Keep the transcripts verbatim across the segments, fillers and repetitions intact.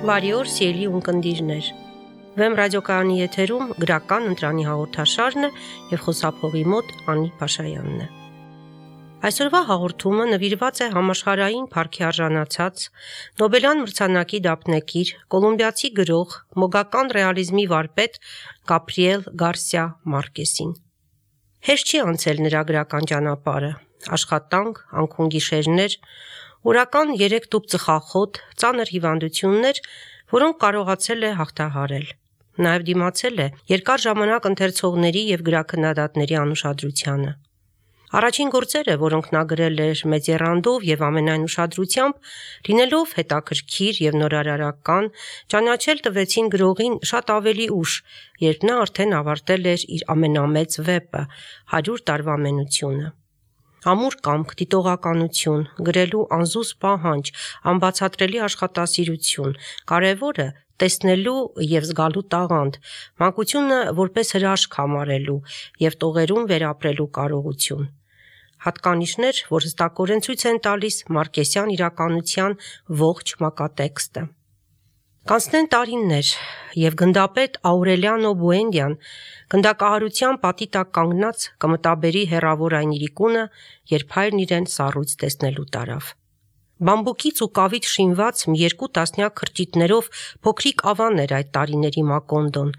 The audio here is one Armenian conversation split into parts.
Բարի օր, սիրելի ունկնդիրներ։ Վեմ ռադիոկայանի եթերում գրական ընտրանի հաղորդաշարն է եւ խոսափողի մոտ Անի Փաշայանն է։ Այսօրվա հաղորդումը նվիրված է համաշխարհային փառքի արժանացած Նոբելյան մրցանակի դափնեկիր, կոլումբիացի գրող, մոգական ռեալիզմի վարպետ Գաբրիել Գարսիա Մարկեսին։ Հեշտ չի անցել նրա գրական ճանապարհը, աշխատանք, անքուն գիշերներ, օրական երեք տուփ ծխախոտ, ծանր հիվանդություններ, որոնք կարողացել է հաղթահարել։ Նաև դիմացել է երկար ժամանակ ընթերցողների եւ գրաքննադատների անուշադրությանը։ Առաջին գործերը, որոնք նա գրել էր մեծ եռանդով եւ ամենայն ուշադրությամբ, լինելով հետաքրքիր եւ նորարարական, ճանաչել տվեցին գրողին շատ ավելի ուշ, երբ նա արդեն ավարտել էր իր ամենամեծ վեպը՝ հարյուր տարվա ամենությունը։ Ամուր կամք, դիտողականություն, գրելու անզուս պահանջ, անբացատրելի աշխատասիրություն, կարևորը տեսնելու եւ զգալու տաղանդ, մանկությունը որպես հրաշք համարելու եւ տողերում վերապրելու կարողություն։ Հատկանիշներ, որ հստակորեն ցույց են տալիս Մարկեսյան իրականության ողջ մակատեքստը։ Կանցնեն տարիներ, եւ գնդապետ Աուրելիանո Բուենդիան գնդակահարության պատի տակ կանգնած կմտաբերի հեռավոր այն իրիկունը, երբ հայրն իրեն սառույց տեսնելու տարավ։ Բամբուկից ու կավից շինված մի երկու տասնյակ քրճիտներով փոքրիկ ավան էր այդ տարիների Մակոնդոն,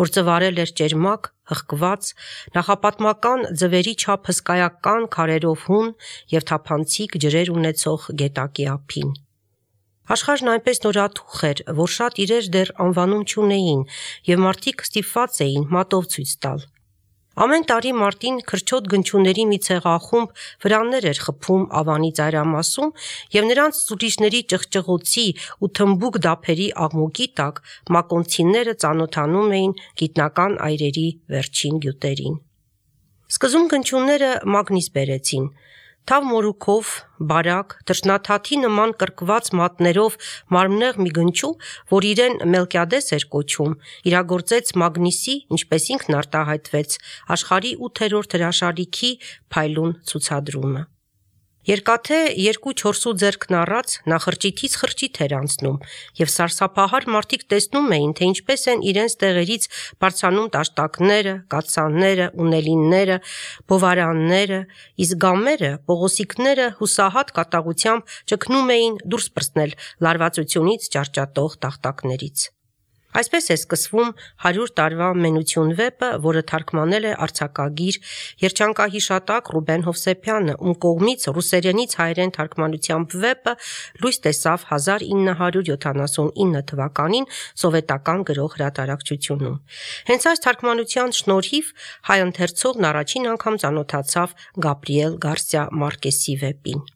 որ ծվարել էր ճերմակ, հղկված, նախապատմական ձվերի չափ հսկայական քարերով հուն եւ թափանցիկ ջրեր ունեցող գետակի ափին։ Աշխարհն այնպես նորաթուխ էր, որ շատ իրեր դեռ անվանում չունեին եւ մարդիկ ստիպված էին մատով ցույց տալ։ Ամեն տարի մարտին քրչոտ գնչուների մի ցեղախումբ վրաններ էր խփում ավանի ծայրամասում եւ նրանց ուրիշների ճղճղոցի ու թմբուկ դափերի աղմուկի տակ մակոնցիները ծանոթանում էին գիտնական այրերի վերջին գյուտերին։ Սկզում գնչուները մագնիս բերեցին, թավ մորուքով, բարակ, թռչնաթաթի նման կրկված մատներով մարմնեղ մի գնչու, որ իրեն Մելկիադես էր կոչում, իրագործեց մագնիսի, ինչպես ինքն արտահայտվեց, աշխարհի ութերորդ հրաշալիքի փայլուն ցուցադրումը։ Երկաթե երկու-չորսու ձեռքն առած նա խրճիթից խրճիթ էր անցնում եւ սարսափահար մարդիկ տեսնում էին, թե ինչպես են իրենց տեղերից բարձրանում տաշտակները, կաթսանները, ունելինները, բովարանները, իսկ գամերը, պողոսիկները հուսահատ կատաղությամբ ճգնում էին դուրս պրծնել լարվածությունից ճարճատող տախտակներից։ Այսպես է սկսվում հարյուր տարվա ամենություն վեպը, որը թարգմանել է արձակագիր, երջանկահիշատակ Ռուբեն Հովսեփյանը, ում կողմից ռուսերենից հայերեն թարգմանությամբ վեպը լույս տեսավ հազար ինը հարյուր յոթանասունինը թվականին սովետական գրող հրատարակչությունում։ Հենց այս թարգմանության շնորհիվ հայ ընթերցողն առաջին անգամ ծանոթացավ Գաբրիել Գարսիա Մարկեսի վեպին։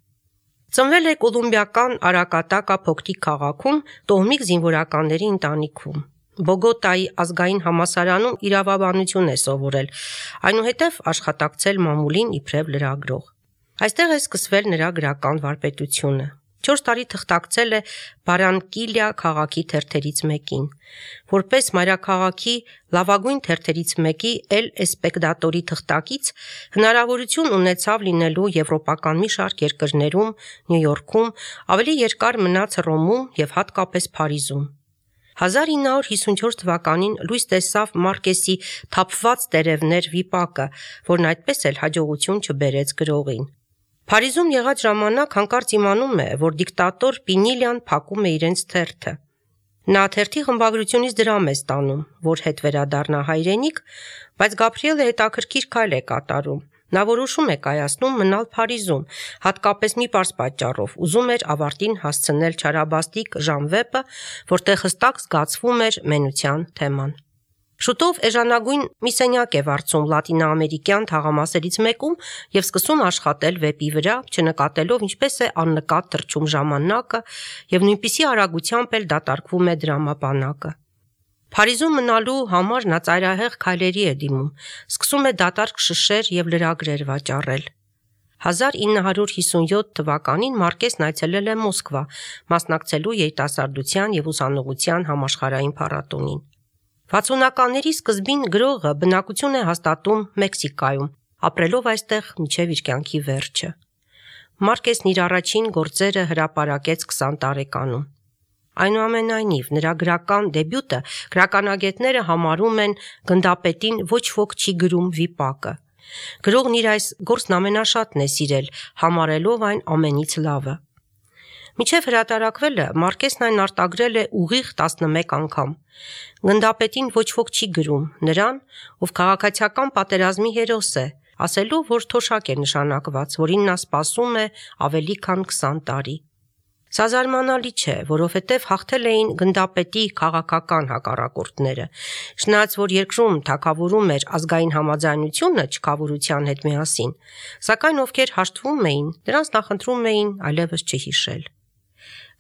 Ծնվել է կոլումբիական Արակատակա փոքրիկ քաղաքում տոհմիկ զինվորականների ընտանիքում։ Բոգոտայի ազգային համալսարանում իրավաբանություն է սովորել, այնուհետև աշխատակցել մամուլին իբրև լրագրող։ Այստեղ է սկսվել նրա գրական վարպետությունը։ Չորս տարի թղթակցել է Բարանկիլիա քաղաքի թերթերից մեկին։ Որպես մայրաքաղաքի լավագույն թերթերից մեկի Էլ Էսպեկտատորի թղթակից հնարավորություն ունեցավ լինելու եվրոպական մի շարք երկրներում, Նյու Յորքում, ավելի երկար մնաց Հռոմում եւ հատկապես Փարիզում։ հազար ինը հարյուր հիսունչորս թվականին լույս տեսավ Մարկեսի «Թափված տերևներ» վիպակը, որն այդպես էլ հաջողություն չբերեց գրողին։ Փարիզում եղած ժամանակ հանկարծ իմանում է, որ դիկտատոր Պինիլյան փակում է իրենց թերթը։ Նա թերթի խմբագրությունից դրամ է ստանում, որ հետ վերադառնա հայրենիք, բայց Գաբրիելը հետաքրքիր քայլ է կատարում։ Նա որոշում է կայացնում մնալ Փարիզում, հատկապես մի պարզ պատճառով՝ ուզում էր ավարտին հասցնել չարաբաստիկ ժանվեպը, որտեղ հստակ զգացվում էր մենության թեման։ Շուտով էժանագույն մի սենյակ է վարձում լատինաամերիկյան թաղամասերից մեկում եւ սկսում աշխատել վեպի վրա, չնկատելով ինչպես է աննկատ թռչում ժամանակը եւ նույնպիսի արագությամբ էլ դատարկվում է դրամապանակը։ Փարիզում մնալու համար նա ծայրահեղ քայլերի է դիմում, սկսում է դատարկ շշեր եւ լրագրեր վաճառել։ հազար ինը հարյուր հիսունյոթ թվականին Մարկեսն այցելել է Մոսկվա, մասնակցելու երիտասարդության եւ ուսանողության համաշխարհային փառատոնին։ վաթսունականների սկզբին գրողը բնակություն է հաստատում Մեքսիկայում, ապրելով այստեղ մինչև իր կյանքի վերջը։ Մարկեսն իր առաջին գործերը հրապարակեց քսան տարեկանում։ Այնուամենայնիվ, նրա գրական դեբյուտը գրականագետները համարում են «Գնդապետին ոչ ոք չի գրում» վիպակը։ Գրողն իր այս գործն ամենաշատն է սիրել, համարելով այն ամենից լավը։ Մինչև հրատարակվելը Մարկեսն այն արտագրել է ուղիղ տասնմեկ անգամ։ Գնդապետին ոչ ոք չի գրում նրան, ով քաղաքացիական պատերազմի հերոս է, ասելով, որ թոշակ է նշանակված, որին նա սպասում է ավելի քան քսան տարի։ Սա զարմանալի չէ, որովհետև հաղթել էին գնդապետի քաղաքական հակառակորդները, չնայած որ երկրում թագավորում էր ազգային համաձայնությունը չքավորության հետ միասին, սակայն ովքեր հաշտվում էին, նրանց նախընտրում էին այլևս չհիշել։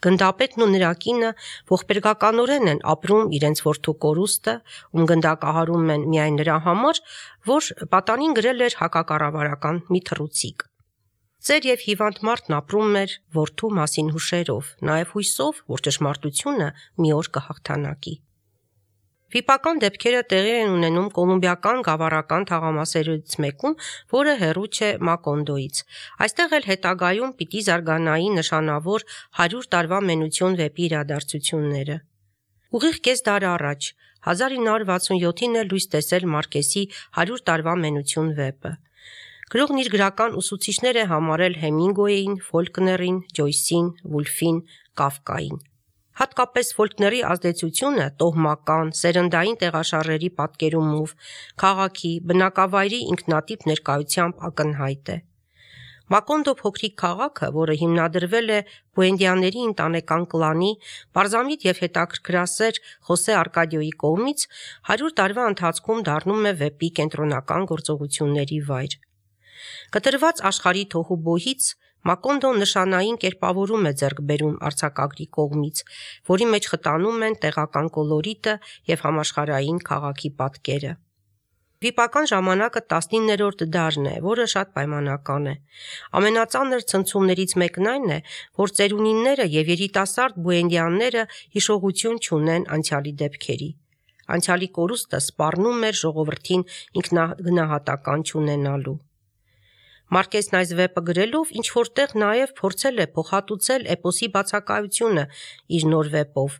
Գնդապետն ու նրա կինը ողբերգականորեն են ապրում իրենց որդու կորուստը, ում գնդակահարում են միայն նրա համար, որ պատանին գրել էր հակակառավարական մի թռուցիկ։ Ծեր և հիվանդ մարդն ապրում էր որդու մասին հուշերով, նաև հույսով, որ ճշմարտությունը մի օր կհաղթանակի։ Վիպական դեպքերը տեղի են ունենում կոլումբիական գավառական թաղամասերից մեկում, որը հեռու չէ Մակոնդոից։ Այստեղ էլ հետագայում պիտի զարգանայի նշանավոր հարյուր տարվա մենություն վեպի իրադարձությունները։ Ուղիղ կես դար առաջ, հազար ինը հարյուր վաթսունյոթին է լույս տեսել Մարկեսի հարյուր տարվա մենություն վեպը։ Գրողն իր գրական ուսուցիչներ է համարել Հեմինգուեյին, Ֆոլկներին, Ջոյսին, Վուլֆին, Կաֆկային։ Հատկապես Ֆոլկների ազդեցությունը տոհմական, սերնդային տեղաշարժերի պատկերումով, քաղաքի, բնակավայրի ինքնատիպ ներկայությամբ ակնհայտ է։ Մակոնդո փոքրիկ քաղաքը, որը հիմնադրվել է Բուենդիաների ընտանեկան կլանի, պարզամիտ և հետաքրքրասեր Խոսե Արկադիոյի կողմից, հարյուր տարվա ընթացքում դառնում է վեպի կենտրոնական գործողությունների վայր։ Կտրված աշխարհի թոհուբոհից Մակոնդոն նշանային կերպավորում է ձեռք բերում արձակագրի կողմից, որի մեջ խտանում են տեղական կոլորիտը և համաշխարհային քաղաքի պատկերը։ Վիպական ժամանակը տասնիններորդ դարն է, որը շատ պայմանական է։ Ամենածանր ցնցումներից մեկն այն է, որ ծերունինները և երիտասարդ բուենդիանները հիշողություն չունեն անցյալի դեպքերի։ Անցյալի կորուստը սպառնում էր ժողովրդին ինքնագնահատական չունենալու։ Մարկեսն այս վեպը գրելով ինչ-որ տեղ նաև փորձել է փոխհատուցել էպոսի բացակայությունը իր նոր վեպով,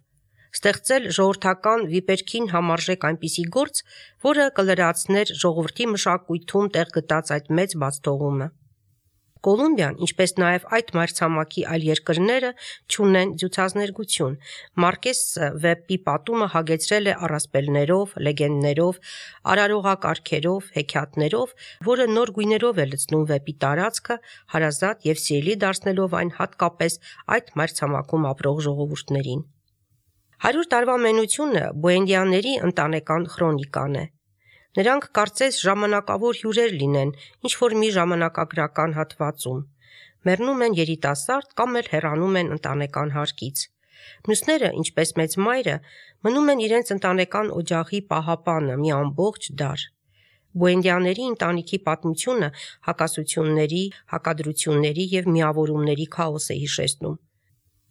ստեղծել ժողովրդական վիպերքին համարժեք այնպիսի գործ, որը կլրացներ ժողովրդի մշակույթում տեղ գտած այդ մեծ բացթողումը։ Կոլումբիան, ինչպես նաև այդ մայրցամաքի այլ երկրները, չունեն ձյուծազներգություն։ Մարկեսը վեպի պատումը հագեցրել է առասպելներով, լեգենդներով, արարողակարգերով, հեքիաթներով, որը նոր գույներով է լցնում վեպի տարածքը, հարազատ և սիրելի դարձնելով այն հատկապես այդ մայրցամաքում ապրող ժողովուրդներին։ Հարյուր տարվա մենությունը բուենդիաների ընտանեկան խրոնիկան է։ Նրանք կարծես ժամանակավոր հյուրեր լինեն ինչ-որ մի ժամանակագրական հատվածում։ Մեռնում են երիտասարդ կամ էլ հեռանում են ընտանեկան հարկից։ Մյուսները, ինչպես մեծ մայրը, մնում են իրենց ընտանեկան օջախի պահապանը մի ամբողջ դար։ Բուենդիաների ընտանիքի պատմությունը հակասությունների, հակադրությունների և միավորումների քաոս է հիշեցնում։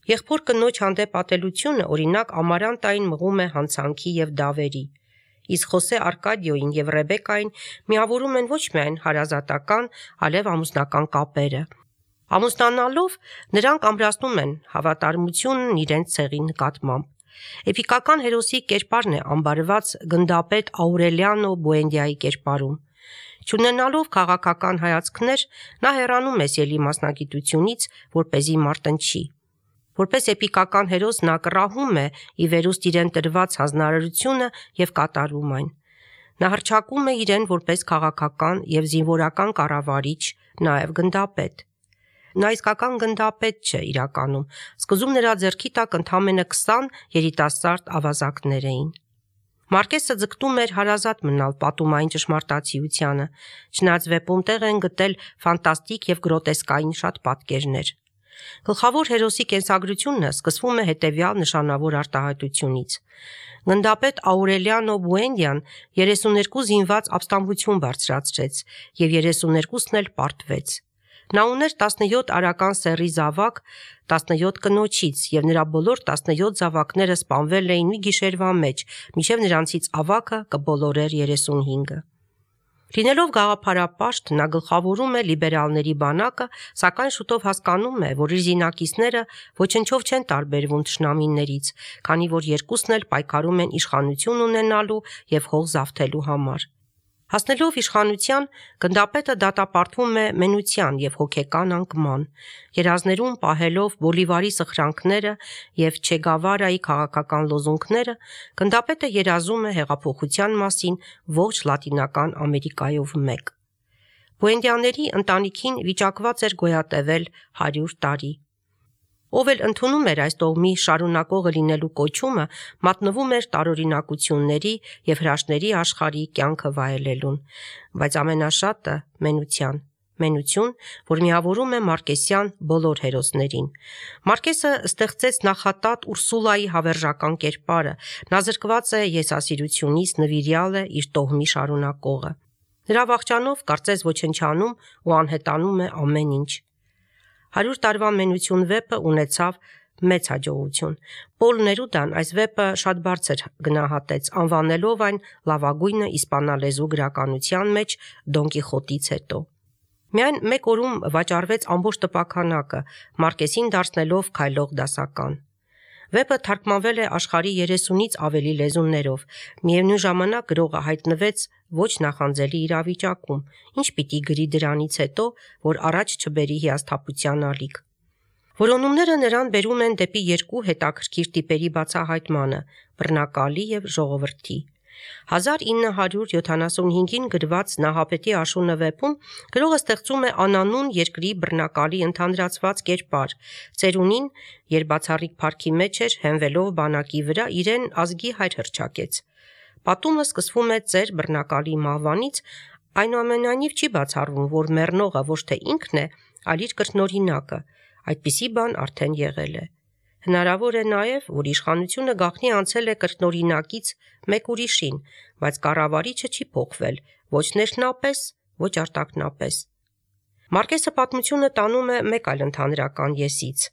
Եղբոր կնոջ հանդեպ ատելությունը, օրինակ, Ամարանտային մղում է հանցանքի և դավերի, իսկ Խոսե Արկադիոյին և Ռեբեկային միավորում են ոչ միայն հարազատական, այլև ամուսնական կապերը։ Ամուսնանալով նրանք ամրացնում են հավատարմությունն իրենց ցեղի նկատմամբ։ Էպիկական հերոսի կերպարն է ամբարված գնդապետ Աուրելիանո Բուենդիայի կերպարում։ Չունենալով քաղաքական հայացքներ, նա հեռանում է սիրելի մասնագիտությունից, որպեսզի մարտնչի։ Որպես էպիկական հերոս նա կռահում է ի վերուստ իրեն տրված հանձնարարությունը և կատարում այն։ Նա հռչակում է իրեն որպես քաղաքական և զինվորական կառավարիչ, նաև գնդապետ։ Նա իսկական գնդապետ չէ իրականում, սկզբում նրա ձեռքի տակ ընդամենը քսան երիտասարդ ավազակներ էին։ Մարկեսը ձգտում էր հարազատ մնալ պատումային ճշմարտացիությանը, չնայած վեպում տեղ են գտել ֆանտաստիկ և գրոտեսկային շատ պատկերներ։ Գլխավոր հերոսի կենսագրությունը սկսվում է հետևյալ նշանավոր արտահայտությունից։ Գնդապետ Աուրելիանո Բուենդիան երեսուներկու զինված ապստամբություն բարձրացրեց և երեսուներկուսն էլ պարտվեց։ Նա ուներ տասնյոթ արական սեռի զավակ տասնյոթ կնոջից, և նրա բոլոր տասնյոթ զավակները սպանվել էին մի գիշերվա մեջ, մինչև նրանցից ավագը կբոլորեր երեսունհինգը։ Լինելով գաղափարապաշտ, նա գլխավորում է լիբերալների բանակը, սակայն շուտով հասկանում է, որ իր զինակիցները ոչնչով չեն տարբերվում թշնամիներից, քանի որ երկուսն էլ պայքարում են իշխանություն ունենալու և հող զավթելու համար։ Հասնելով իշխանության, գնդապետը դատապարտվում է մենության և հոգեկան անկման, երազներում պահելով Բոլիվարի սխրանքները և Չե Գավարայի քաղաքական լոզունգները, գնդապետը երազում է հեղափոխության մասին ողջ Լատինական Ամերիկայով մեկ։ Բուենդիաների ընտանիքին վիճակված էր գոյատևել հարյուր տարի։ Ով էլ ընդունում էր այս տոհմի շարունակողը լինելու կոչումը, մատնվում էր տարօրինակությունների և հրաշքների աշխարհի կյանքը վայելելուն, բայց ամենաշատը մենության, մենություն, որ միավորում է մարկեսյան բոլոր հերոսներին։ Մարկեսը ստեղծեց նախատատ Ուրսուլայի հավերժական կերպարը, նա զրկված է եսասիրությունից, նվիրյալ է իր տոհմի շարունակողը։ Նրա վախճանով կարծես ոչնչանում ու անհետանում է ամեն ինչ։ Հարյուր տարվա մենություն վեպը ունեցավ մեծ հաջողություն։ Պոլ Ներուդան այս վեպը շատ բարձր գնահատեց, անվանելով այն լավագույնը իսպանալեզու գրականության մեջ Դոն Կիխոտից հետո։ Միայն մեկ օրում վաճառվեց ամբողջ տպաքանակը, Մարկեսին դարձնելով քայլող դասական։ Վեպը թարգմանվել է աշխարհի երեսունից ավելի լեզուներով, միևնույն ժամանակ գրողը հայտնվեց ոչ նախանձելի իրավիճակում, ինչ պիտի գրի դրանից հետո, որ առաջ չբերի հիասթափության ալիք։ Որոնումները նրան բերում են դեպի երկու հետաքրքիր տիպերի բացահայտմանը՝ բռնակալի և ժողովրդի։ հազար ինը հարյուր յոթանասունհինգին գրված Նահապետի աշունը վեպում գրողը ստեղծում է անանուն երկրի բռնակալի ընդհանրացված կերպար, ծերունին, երբ բացառիկ փառքի մեջ էր, հենվելով բանակի վրա, իրեն ազգի հայր հռչակեց։ Պատումը սկսվում է ծեր բռնակալի մահվանից, այնուամենայնիվ չի բացառվում, որ մեռնողը ոչ թե ինքն է, այլ իր կրկնօրինակը, այդպիսի բան արդեն եղել է։ Հնարավոր է նաև, որ իշխանությունը գաղտնի անցել է կրկնօրինակից մեկ ուրիշին, բայց կառավարիչը չի փոխվել, ոչ ներքնապես, ոչ արտաքնապես։ Մարկեսը պատմությունը տանում է մեկ այլ ընդհանրական եսից։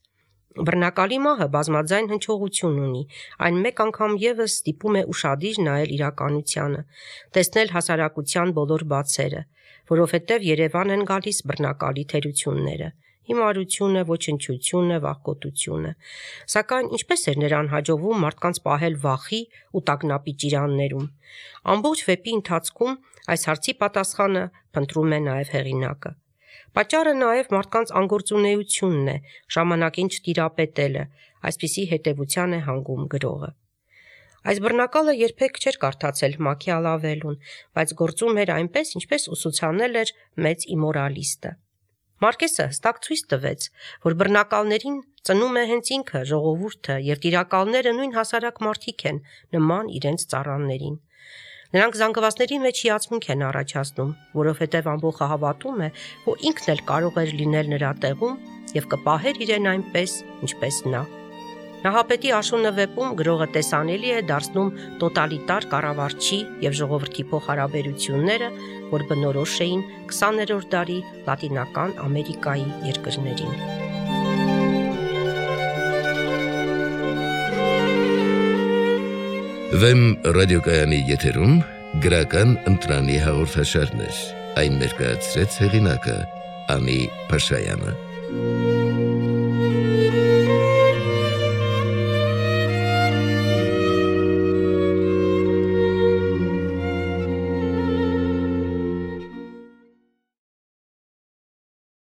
Բռնակալի մահը բազմաձայն հնչողություն ունի, այն մեկ անգամ ևս ստիպում է ուշադիր նայել իրականությանը, տեսնել հասարակության բոլոր բացերը, որովհետև Երևան են գալիս բռնակալի թերությունները՝ հիմարությունը, ոչնչությունը, վախկոտությունը։ Սակայն ինչպես էր նրան հաջողվում մարդկանց պահել վախի ու տագնապի ճիրաններում։ Ամբողջ վեպի ընթացքում այս հարցի պատասխանը փնտրում է նաև հեղինակը։ Պատճառը նաև մարդկանց անգործունեությունն է, ժամանակին չտիրապետելը, այսպիսի հետևության է հանգում գրողը։ Այս բռնակալը երբեք չէր կարդացել Մաքիավելլուն, բայց գործում էր այնպես, ինչպես ուսուցանել էր մեծ իմորալիստը։ Մարկեսը հստակ ցույց տվեց, որ բռնակալներին ծնում է հենց ինքը, ժողովուրդը, և տիրակալները նույն հասարակ մարդիկ են, նման իրենց ծառաներին։ Նրանք զանգվածների մեջ հիացմունք են առաջացնում, որովհետև ամբողջը հավատում է, որ ինքն էլ կարող էր լինել նրա տեղում և կպահեր իրեն այնպես, ինչպես նա։ Նահապետի աշունը վեպում գրողը տեսանելի է դարձնում տոտալիտար կառավարչի և ժողովրդի փոխհարաբերությունները, որ բնորոշ էին քսաներորդ դարի Լատինական Ամերիկայի երկրներին։ Վեմ ռադիոկայանի եթերում գրական ընտրանի հաղորդաշարներ, այն ներկայացրեց հեղինակը Անի Փաշայանը։